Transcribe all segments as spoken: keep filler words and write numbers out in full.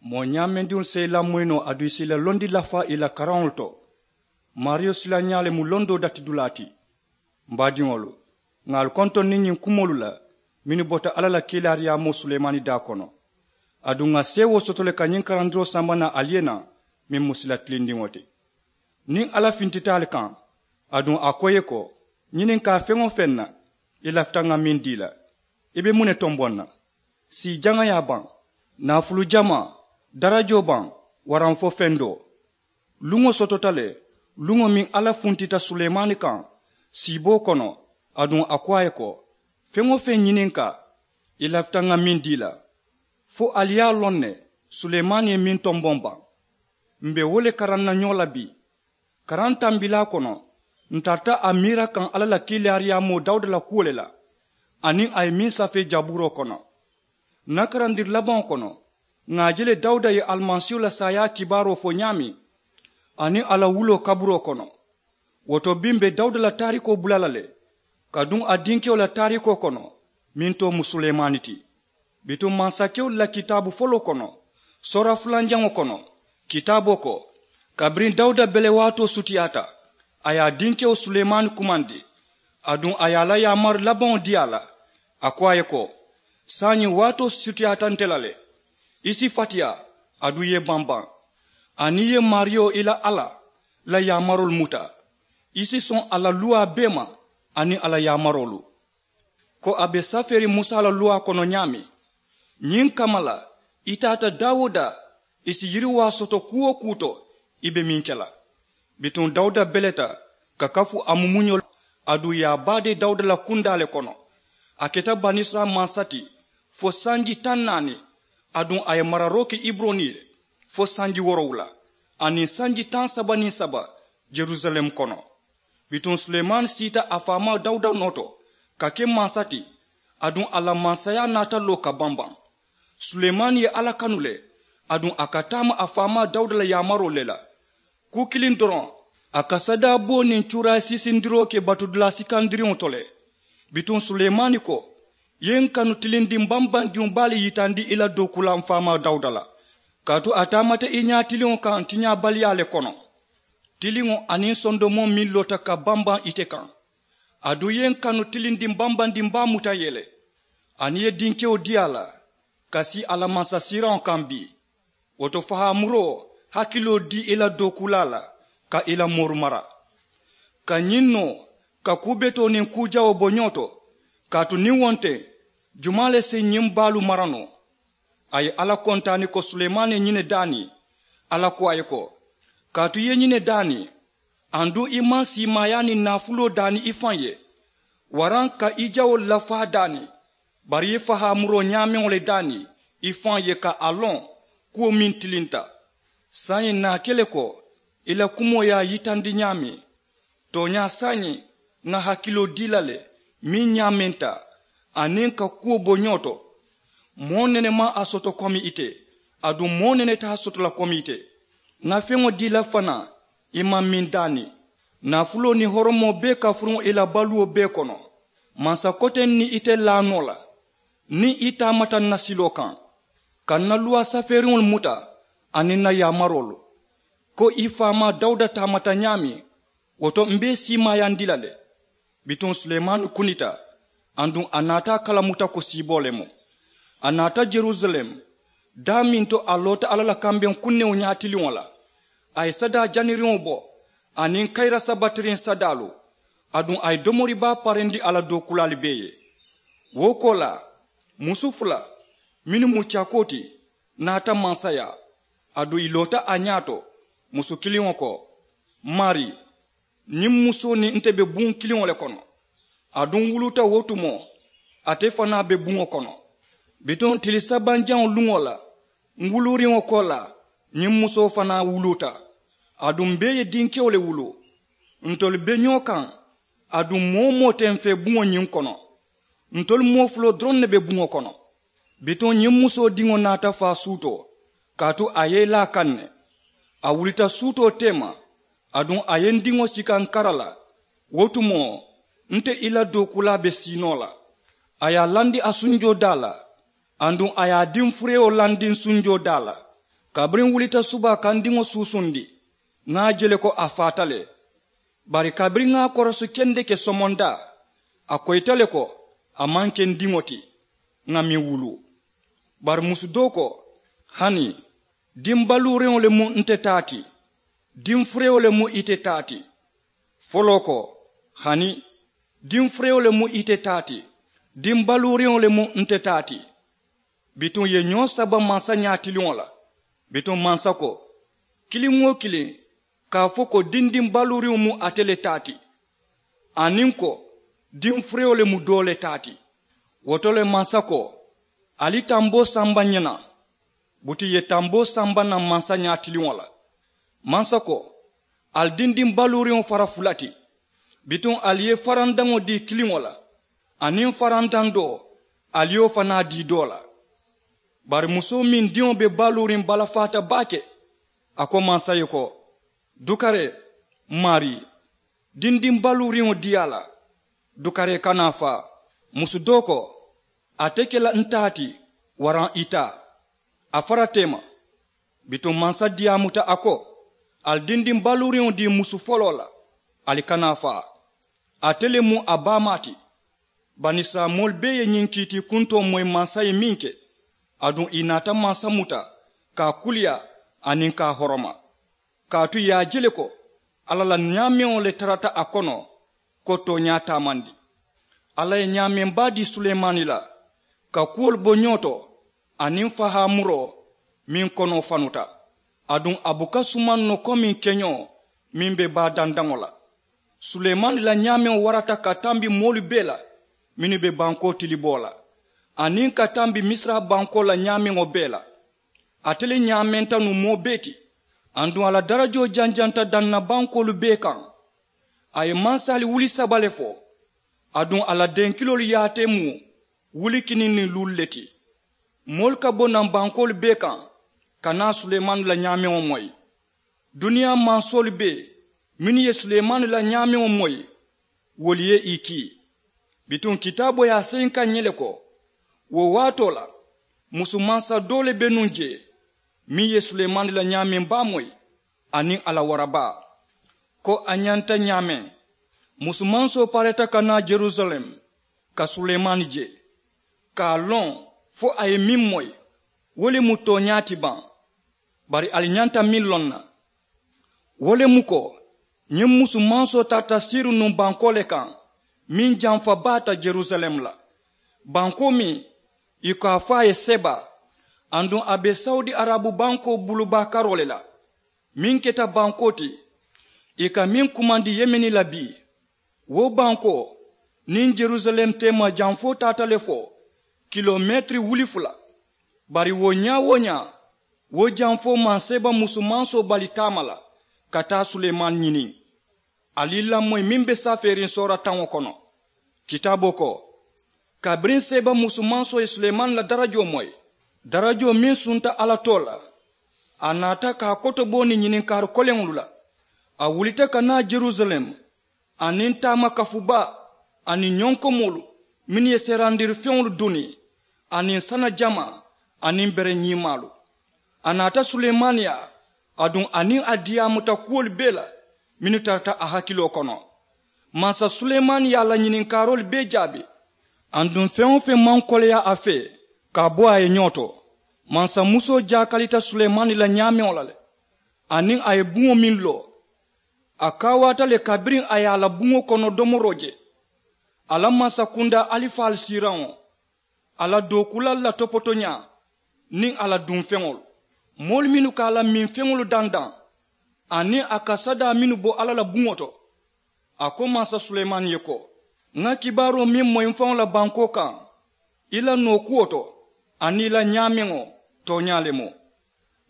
Moo ñaamendiŋolu si i lamoyi noo aduŋ i si i la londi lafaa i la karaŋolu to. Maariyo silañaa le mu londoo datidulaa ti. M baadiŋolu, ŋà ali kontoŋ niŋ ñiŋ kumoolu la mennu bota alla la kiilaariyaamoo sulemaani daa kono. Aduŋ ŋà seewoo soto le ka ñiŋ karandiroo samba naa ali ye naa, meŋ mu sila tilindiŋo ti. Niŋ alla fintita ali kaŋ, aduŋ a ko i ye ko, ñininkaa feŋ-wo-feŋ na, i lafita ŋà meŋ dii la, i be muŋ ne tomboŋ na? Sii jaŋayaa baŋ, naafulu jamaa, darajoo baŋ, waraŋ fo fendoo? Luŋo sotota le, luŋo meŋ alla funtita sulemaani kaŋ siiboo kono, aduŋ a ko a ye ko, feŋ-wo-feŋ ñininkaa, i lafita ŋà meŋ dii la. Fo ali ye a loŋ ne, sulemaani ye meŋ tomboŋ baŋ. M be wo le karaŋ na ñoo la bii. Karaŋ tambilaa kono, n tarata a miira kaŋ alla la kiilaariyaamoo dawuda la kuwo le la, aniŋ a ye meŋ safee jabuuroo kono. N na karandiri labaŋo kono, ŋà a je le dawuda ye alimasiihu la saayaa kibaaroo fo ñaameŋ, aniŋ a la wuloo kaburoo kono. Wo to bii m be dawuda la taarikoo bula la le, ka duŋ a dinkewo la taarikoo kono, meŋ too mu sulemaani ti. Bituŋ mansakewolu la kitaabu foloo kono, soora fulanjaŋo kono, kitaaboo ko, kabiriŋ dawuda bele waatoo sutiyaata, a ye a dinkewo sulemaani kumandi, aduŋ a ye a la yaamari labaŋo dii a la. A ko a ye ko, saayiŋ waatoo sutiyaata nte la le. I si fatiyaa, aduŋ i ye banbaŋ, aniŋ i ye maariyo i la alla la yaamaroolu muta. I si soŋ a la luwaa bee ma, aniŋ a la yaamaroolu. Ko a be safeeriŋ musa la luwaa kono ñaameŋ, ñiŋ kamma la, i taata daa-wo-daa, i si yiriwaa soto kuu-wo-kuu to, i be meŋ ke la. Bituŋ dawuda beleta ka kafu a mumuño la, aduŋ i ye a baadee dawuda la kundaa le kono. A keta banisirayila mansa ti fo sanji taŋ naani, aduŋ a ye mararoo ke iburoni ye fo sanji woorowula, aniŋ sanji taŋ saba niŋ saba, yerusalem kono. Bituŋ sulemaani siita a faamaa dawuda noo to ka ke mansa ti, aduŋ a la mansayaa naata loo ka banbaŋ. Sulemaani ye alla kanu le, aduŋ a ka taama a faamaa dawuda la yaamaroo le la. Kuu kiliŋ doroŋ, a ka sadaa buwo niŋ cuurayi siisindiroo ke batudulaa sikandiriŋo to le. Bituŋ sulemaani ko, i ye n kanu tilindiŋ bambandiŋo baa le yitandi i la dookuulaa m faamaa dawuda la, kaatu a taamata i ñaatiliŋo kaŋ tiñaabaliyaa le kono. Tiliŋo aniŋ sondomoo meŋ loota ka bambaŋ ite kaŋ, aduŋ i ye n kanu tilindiŋ bambandiŋ baa muta n ye le, aniŋ i ye dinkewo dii a la ka sii a la mansasiiraŋo kaŋ bii. Wo to fahaamuroo hakiloo dii i la dookuulaa la ka i la mooru mara, ka ñiŋ noo ka kuu betoo niŋ kuu jawoo bo ñoo to. Kaatu niŋ wo nte, jumaa le si ñiŋ baalu mara noo? A ye alla kontaani ko sulemaani ye ñiŋ ne daani. Alla ko a ye ko, kaatu i ye ñiŋ ne daani, aduŋ i maŋ siimaayaa niŋ naafuloo daani i faŋ ye, waraŋ ka i jawoolu lafaa daani, bari i ye fahaamuroo ñaameŋo le daani i faŋ ye ka a loŋ kuwo meŋ tilinta. Saayiŋ ǹ na a ke le ko i la kumoo ye a yitandi ñaameŋ. Tooñaa saayiŋ ŋa hakiloo dii la le meŋ ñaamenta, aniŋ ka kuwo bo ñoo to. Moo nene maŋ a soto komi ite, aduŋ moo nene te a soto la komi ite. Ŋa feŋo dii la fanaa i maŋ meŋ daani. Naafuloo niŋ horomoo bee ka furuŋ i la baluwo bee kono. Mansa koteŋ niŋ ite laa noo la, niŋ i taamata n na siloo kaŋ ka n na luwaa safeeriŋolu muta aniŋ n na yaamaroolu, ko i faamaa dawuda taamata ñaameŋ, wo to m be i siimaayandi la le. Bituŋ sulemaani kunita, aduŋ a naata a kalamuta ko siiboo le mu. A naata yerusalem, daa meŋ to a loota alla la kambeŋ kunnewo ñaatiliŋo la. A ye sadaa janiriŋo bo aniŋ kayira sabatiriŋ sadaalu, aduŋ a ye domori baa parendi a la dookuulaalu bee ye. Wo koolaa, musu fula mennu mu cakoo ti naata mansayaa, aduŋ ì loota a ñaato. Musu kiliŋo ko, maarii, ñiŋ musoo niŋ nte be buŋo kiliŋo le kono. Aduŋ n wuluuta wo tumoo, ate fanaa be buŋo kono. Bituŋ tili sabanjaŋo luŋo la, n wuluuriŋo koolaa, ñiŋ musoo fanaa wuluuta. Aduŋ m bee ye dinkewo le wuluu. Ntolu be ñoo kaŋ, aduŋ moo-wo-moo te m fee buŋo ñiŋ kono. Ntolu moo fuloo doroŋ ne be buŋo kono. Bituŋ ñiŋ musoo diŋo naata faa suutoo, kaatu a ye i laa kaŋ ne. A wulita suutoo teema, aduŋ a ye n diŋo sika n kara la. Wo tumoo, nte i la dookuulaa be sii noo la. A ye a landi a sunjoo daa la, aduŋ a ye a diŋ furewo landi n sunjoo daa la. Kabiriŋ n wulita subaa ka n diŋo suusundi, ŋa a je le ko a faata le. Bari kabiriŋ ŋa a korosi kendeke somondaa, a koyita le ko a maŋ ke n diŋo ti, ŋa meŋ wuluu. Bari musu doo ko, hani, diŋ baluuriŋo le mu nte taa ti, diŋ furewo le mu ite taa ti. Foloo ko, hani, diŋ furewo le mu ite taa ti, diŋ baluuriŋo le mu nte taa ti. Bituŋ ì ye ñoo saba mansa ñaatiliŋo la. Bituŋ mansa ko, kiliŋ-wo-kiliŋ ka a fo ko dindiŋ baluuriŋo mu ate le taa ti, aniŋ ko diŋ furewo le mu doo le taa ti. Wo to le mansa ko, ali tamboo samba ǹ ye naŋ. Buti ì ye tamboo samba naŋ mansa ñaatiliŋo la. Mansa ko, ali dindiŋ baluuriŋo fara fula ti. Bituŋ ali ye farandaŋo dii kiliŋo la, aniŋ farandaŋ doo, ali ye wo fanaa dii doo la. Bari musoo meŋ diŋo be baluuriŋ balafaata baake, a ko mansa ye ko, dukaree, maarii, dindiŋ baluuriŋo dii a la. Dukaree kana a faa. Musu doo ko, a te ke la n taa ti, waraŋ i taa. A fara teema. Bituŋ mansa diyaamuta a ko, ali dindiŋ baluuriŋo dii musu foloo la, ali kana a faa. Ate le mu a baamaa ti. Banisirayila moolu bee ye ñiŋ kiitiikuntoo moyi mansa ye meŋ ke, aduŋ ì naata mansa muta ka a kuliyaa aniŋ ka a horoma. Kaatu ì ye a je le ko alla la ñaameŋo le tarata a kono, ko tooñaa taamandi. Alla ye ñaameŋ baa dii sulemaani la, ka kuwolu bo ñoo to, aniŋ fahaa muroo meŋ konoo fanuta. Aduŋ a buka sumaŋ noo komiŋ keñoo meŋ be baa dandaŋo la. Sulemaani la ñaameŋo warata ka tambi moolu bee la mennu be bankoo tiliboo la, aniŋ ka tambi misira bankoo la ñaameŋo bee la. Ate le ñaamenta nuŋ moo bee ti. Aduŋ a la darajoo janjanta daŋ na bankoolu bee kaŋ. A ye mansaali wuli saba le fo. Aduŋ a la denkiloolu yaatee mu wuli kiniŋ niŋ luulu le ti. Moolu ka bo naŋ bankoolu bee kaŋ ka naa sulemaani la ñaameŋo moyi. Duniyaa mansoolu bee mennu ye sulemaani la ñaameŋo moyi, wolu ye ì kii. Bituŋ kitaaboo ye a seyinka ǹ ye le ko, wo waatoo la, musu mansa doo le be nuŋ jee meŋ ye sulemaani la ñaameŋ baa moyi, aniŋ a la wara baa. Ko a ñanta ñaameŋ, musu mansoo pareeta ka naa jerusalem ka sulemaani je, ka a loŋ fo a ye meŋ moyi, wo le mu tooñaa ti baŋ. Bari ali ñanta meŋ loŋ na, wo le mu ko ñiŋ musu mansoo tarata siiriŋ nuŋ bankoo le kaŋ meŋ jamfa baata jerusalem la, bankoo meŋ ì ko a fo a ye seba. Aduŋ a be sawudi arabu bankoo bulubaa karoo le la, meŋ keta bankoo ti ì ka meŋ kumandi yemeni la bii. Wo bankoo niŋ jerusalem teema jamfoo taata le fo kilometiri wuli fula. Bari wo ñaa-wo-ñaa, wo jamfoo maŋ seeba musu mansoo bali taama la ka taa sulemaani ñiniŋ. Ali i lamoyi meŋ be safeeriŋ soora taŋo kono. Kitaaboo ko, kabiriŋ seeba musu mansoo ye sulemaani la darajoo moyi, darajoo meŋ sunta alla too la, a naata ka a kotobooni ñininkaari koleŋolu la. A wulita ka naa jerusalem, aniŋ taama kafubaa, aniŋ ñonkomoolu mennu ye seerandiri feŋolu duni, aniŋ sana jamaa, aniŋ bere ñiimaalu. A naata sulemaani yaa, aduŋ a niŋ a diyaamuta kuwolu bee la mennu tarata a hakiloo kono. Mansa sulemaani ye a la ñininkaaroolu bee jaabi. Aduŋ feŋ-wo-feŋ maŋ koleyaa a fee ka a bo a ye ñoo to. Mansa musoo jaakalita sulemaani la ñaameŋo la le, aniŋ a ye buŋo meŋ loo, a kaawaata le kabiriŋ a ye a la buŋo kono domoroo je. A la mansakundaa alifaalu siiraŋo, a la dookulaalu la topotoñaa, niŋ a la dunfeŋolu, moolu mennu ka a la minfeŋolu dandaŋ, aniŋ a ka sadaa mennu bo alla la buŋo to. A ko mansa sulemaani ye ko, ŋa kibaaroo meŋ moyi m faŋo la bankoo kaŋ, i la nookuwo to, aniŋ i la ñaameŋo, tooñaa le mu.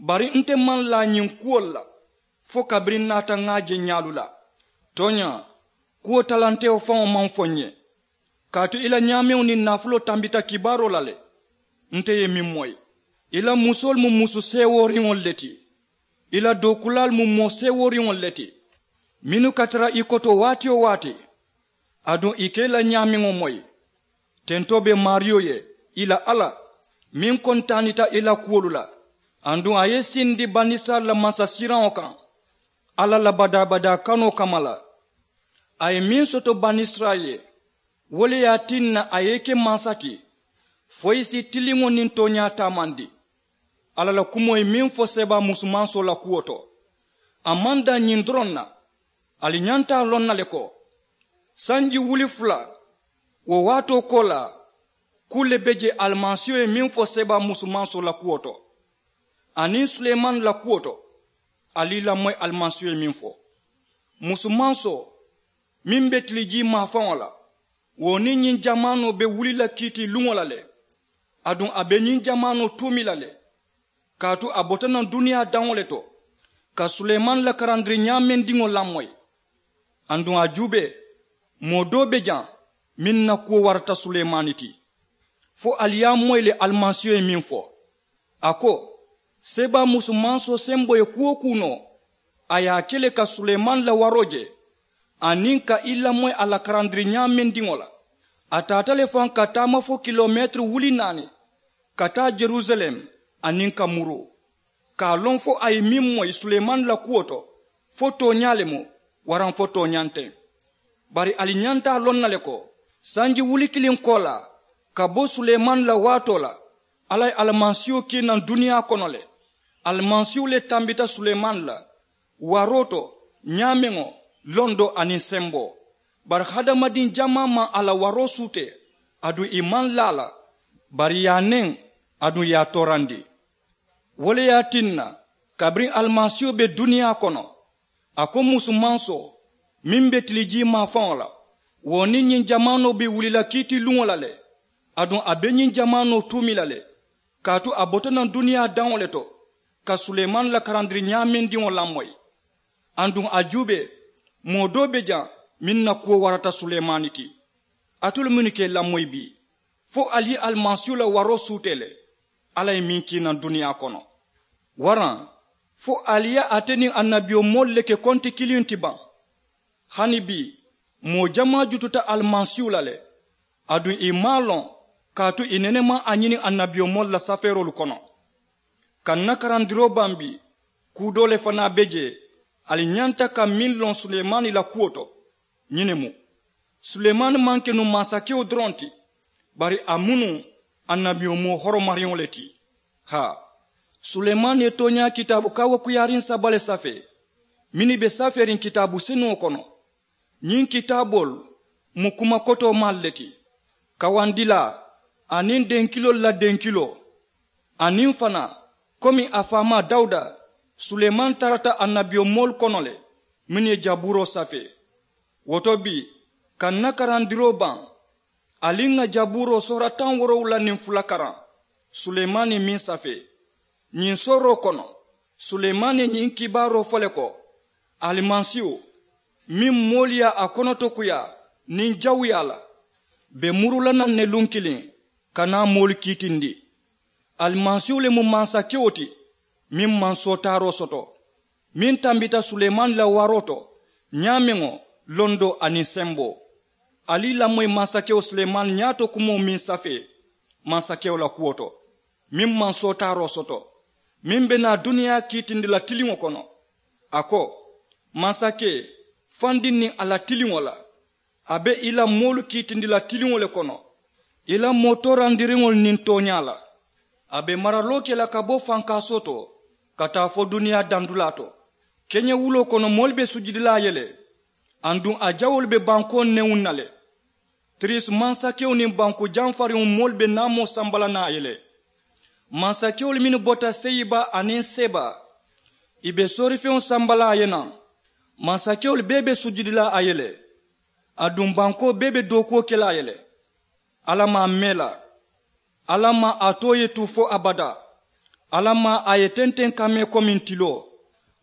Bari nte maŋ laa ñiŋ kuwolu la fo kabiriŋ n naata ŋa a je ñaalu la. Tooñaa, kuwo talantewo faŋo maŋ fo n ye, kaatu i la ñaameŋo niŋ naafuloo tambita kibaaroo la le. Nte ye meŋ moyi, i la musoolu mu musu seewooriŋolu le ti, i la dookulaalu mu moo seewooriŋolu le ti, mennu ka tara i koto waati-wo-waati, aduŋ i ka i la ñaameŋo moyi. Tentoo be maariyo ye, i la alla, meŋ kontaanita i la kuwolu la, Aduŋ a ye sindi banisirayila mansasiraŋo kaŋ alla la badaa-badaa kanoo kamma la. A ye meŋ soto banisirayila ye, wo le ye a tinna a ye i ke mansa ti fo i si tiliŋo niŋ tooñaa taamandi. Alla la kumoo ye meŋ fo seebaa musumansoo la kuwo to, a maŋ daŋ ñiŋ doroŋ na. Ali ñanta a loŋ na le ko sanji wuli fula wo waatoo koolaa, kuu le be je alimasiiho ye meŋ fo seebaa musumansoo la kuwo to aniŋ sulemani la kuwo to. Ali i lamoyi alimasiiho ye meŋ fo, musumansoo meŋ be tilijii maafaŋo la, wo niŋ ñiŋ jamaanoo be wuli la kiitii luŋo la le. Aduŋ a be ñiŋ jamaanoo tuumi la le, kaatu a bota naŋ duniyaa daŋo le to ka sulemani la karandiri ñaamendiŋo lamoyi. Aduŋ a juubee, moo doo be jaŋ meŋ na kuwo warata sulemani ti. Fo ali ye a moyi le alimasiiho ye meŋ fo, a ko seebaa musumansoo semboo ye kuu-wo-kuu noo, a ye a ke le ka sulemani la waroo je aniŋ ka i lamoyi a la karandiri ñaamendiŋo la. A taata le faŋ ka taama fo kilomeetiri wuli naani ka taa jerusalem aniŋ ka muruu, ka a loŋ fo a ye meŋ moyi sulemani la kuwo to, fo tooñaa le mu waraŋ fo tooñaa nteŋ. Bari ali ñanta a loŋ na le ko sanji wuli kiliŋ koolaa ka bo sulemani la waatoo la, alla ye alimasiiho kii naŋ duniyaa kono le. Alimasiiho le tambita sulemani la waroo to ñaameŋo, londoo aniŋ semboo. Bari hadamadiŋ jamaa maŋ a la waroo suutee, aduŋ ì maŋ laa a la, bari ì ye a neŋ, aduŋ ì ye a toorandi. Wo le ye a tinna kabiriŋ alimasiiho be duniyaa kono, a ko musumansoo meŋ be tilijii maafaŋo la, wo niŋ ñiŋ jamaanoo be wuli la kiitii luŋo la le. Aduŋ a be ñiŋ jamaanoo tuumi la le, kaatu a bota naŋ duniyaa daŋo le to ka sulemani la karandiri ñaamendiŋo lamoyi. Aduŋ a juubee, moo doo be jaŋ meŋ na kuwo warata sulemani ti. Alitolu mennu ka i lamoyi bii, fo ali ye alimasiiho la waroo suutee le. Alla ye meŋ kii naŋ duniyaa kono, waraŋ fo ali ye ate niŋ annabiyomoolu le ke konti kiliŋ ti baŋ? Hani bii, moo jamaa jututa alimasiiho la le, aduŋ ì maŋ a loŋ, kaatu ì nene maŋ a ñini annabiyomoolu la safeeroolu kono. Ka ǹ na karandiroo bambi, kuu doo le fanaa be jee ali ñanta ka meŋ loŋ sulemani la kuwo to. Ñiŋ ne mu, sulemani maŋ ke nuŋ mansakewo doroŋ ti, bari a mu nuŋ annabiyomoo horomariŋo le ti. Haa, sulemani ye tooñaa kitaabu kaawakuyaariŋ saba le safee mennu be safeeriŋ kitaabu senuŋo kono. Ñiŋ kitaaboolu mu kuma kotoomaalu le ti, kawandilaa aniŋ denkiloolu la denkiloo. Aniŋ fanaa, komi a faamaa dawuda, sulemani tarata annabiyomoolu kono le mennu ye jabuuroo safee. Wo to bii, ka ǹ na karandiroo baŋ, ali ŋà jabuuroo soora taŋ woorowula niŋ fula karaŋ, sulemani ye meŋ safee. Ñiŋ sooroo kono, sulemani ye ñiŋ kibaaroo fo le ko, alimasiihu meŋ moolu ye a konotokuyaa niŋ jawuyaa la, be muru la naŋ ne luŋ kiliŋ ka naa moolu kiitindi. Alimasiihu le mu mansakewo ti meŋ maŋ sootaaroo soto, meŋ tambita sulemani la waroo to, ñaameŋo, londoo aniŋ semboo. Ali i lamoyi mansakewo sulemani ñaato kumoo meŋ safee mansakewo la kuwo to, meŋ maŋ sootaaroo soto, meŋ be naa duniyaa kiitindi la tiliŋo kono. A ko, mansakee, fandiŋ niŋ a la tiliŋo la, a be i la moolu kiitindi la tiliŋo le kono, i la moo toorandiriŋolu niŋ tooñaa la. A be maraloo ke la ka bo fankaasoo to ka taa fo duniyaa dandulaa to. Keñewuloo kono moolu be sujudi la a ye le, aduŋ a jawoolu be bankoo newuŋ na le. Tirisi mansakewo niŋ banku jamfariŋo moolu be naamoo samba la naŋ a ye le. Mansakewolu mennu bota seyiba aniŋ seba, ì be soorifeŋo samba la a ye naŋ. Mansakewolu bee be sujudi la a ye le, aduŋ bankoo bee be dookuwo ke la a ye le. Alla maŋ a mee la. Alla maŋ a too ye tu fo abadaa. Alla maŋ a ye tenteŋ ka mee komiŋ tiloo.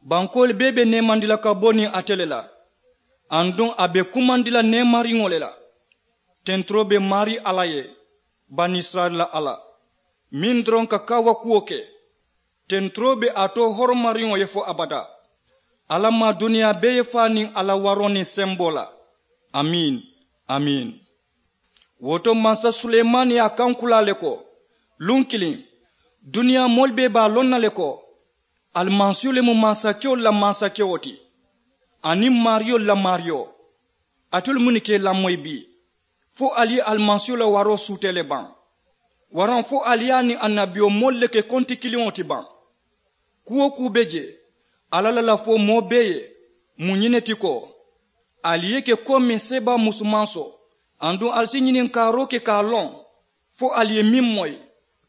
Bankoolu bee be neemandi la ka bo niŋ ate le la, aduŋ a be kumandi la neemariŋo le la. Tenturoo be maarii alla ye, banisirayila la alla, meŋ doroŋ ka kaawakuwo ke. Tenturoo be a to horomariŋo ye fo abadaa. Alla maŋ duniyaa bee ye faa niŋ a la waroo niŋ semboo la. Amiin. Amiin. Wo to mansa sulemani ye a kankulaa le ko, luŋ kiliŋ, Duniyaa moolu bee be a loŋ na le ko alimasiihu le mu mansakewolu la mansakewo ti, aniŋ maariyolu la maariyo. Alitolu munnu ka i lamoyi bii? Fo ali ye alimasiihu la waroo suutee le baŋ? Waraŋ fo ali ye a niŋ annabiyomoolu le ke konti kiliŋo ti baŋ? Kuu-wo-kuu be je, alla la lafoo moo bee ye mu ñiŋ ne ti ko ali ye ke komiŋ seebaa musumansoo. Aduŋ ali si ñininkaaroo ke ka a loŋ fo ali ye meŋ moyi,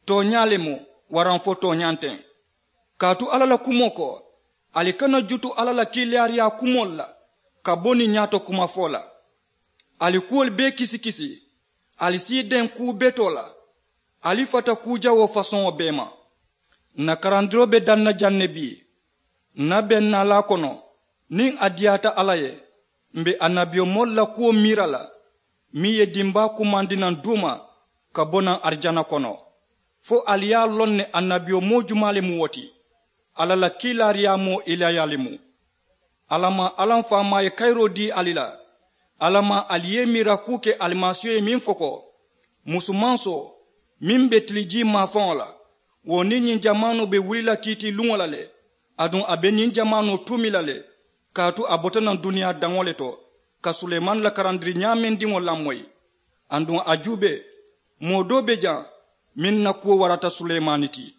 tooñaa le mu waraŋ fo tooñaa nteŋ? Kaatu alla la kumoo ko ali kana jutu alla la kiilaariyaa kumoolu la ka bo niŋ ñaato kumafoo la. Ali kuwolu bee kisikisi, ali si i deŋ kuu betoo la, ali fata kuu jawoo fasoŋo bee ma. Ǹ na karandiroo be daŋ na jaŋ ne bii. Ǹ na bennaalaa kono, niŋ a diyaata alla ye, m̀ be annabiyomoolu la kuwo miira la meŋ ye dimbaa kumandi naŋ duuma ka bo naŋ arijana kono. Fo ali ye a loŋ ne annabiyomoo jumaa le mu wo ti? Alla la kiilaariyaamoo ilaya le mu. Alla maŋ alla m faamaa ye kayiroo dii ali la? Alla maŋ ali ye i miira kuu ke alimasiiho ye meŋ fo ko musumansoo meŋ be tilijii maafaŋo la, wo niŋ ñiŋ jamaanoo be wuli la kiitiiluŋo la le. Aduŋ a be ñiŋ jamaanoo tuumi la le. Kaatu a bota naŋ duniyaa daŋo le to ka suleemaani la karandiri ñaamendiŋo lamoyi. Aduŋ a juubee, moo doo be jaŋ meŋ na kuwo warata suleemaani ti.